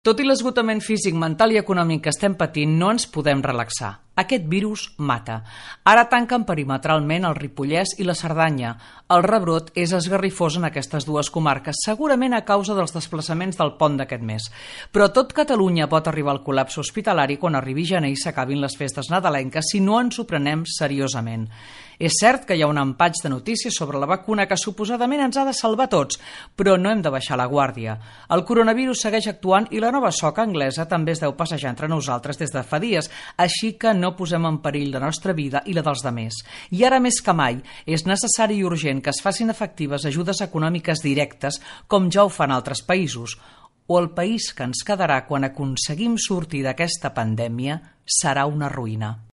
Tot i l'esgotament físic, mental i econòmic que estem patint, no ens podem relaxar. Aquest virus mata. Ara tanquen perimetralment el Ripollès i la Cerdanya. El rebrot és esgarrifós en aquestes dues comarques, segurament a causa dels desplaçaments del pont d'aquest mes. Però tot Catalunya pot arribar al col·lapse hospitalari quan arribi gener i s'acabin les festes nadalenques si no ens ho prenem seriosament. És cert que hi ha un empatx de notícies sobre la vacuna que suposadament ens ha de salvar tots, però no hem de baixar la guàrdia. El coronavirus segueix actuant i la nova soca anglesa també es deu passejar entre nosaltres des de fa dies, així que no posem en perill la nostra vida i la dels demés. I ara més que mai és necessari i urgent que es facin efectives ajudes econòmiques directes com ja ho fan altres països, o el país que ens quedarà quan aconseguim sortir d'aquesta pandèmia serà una ruïna.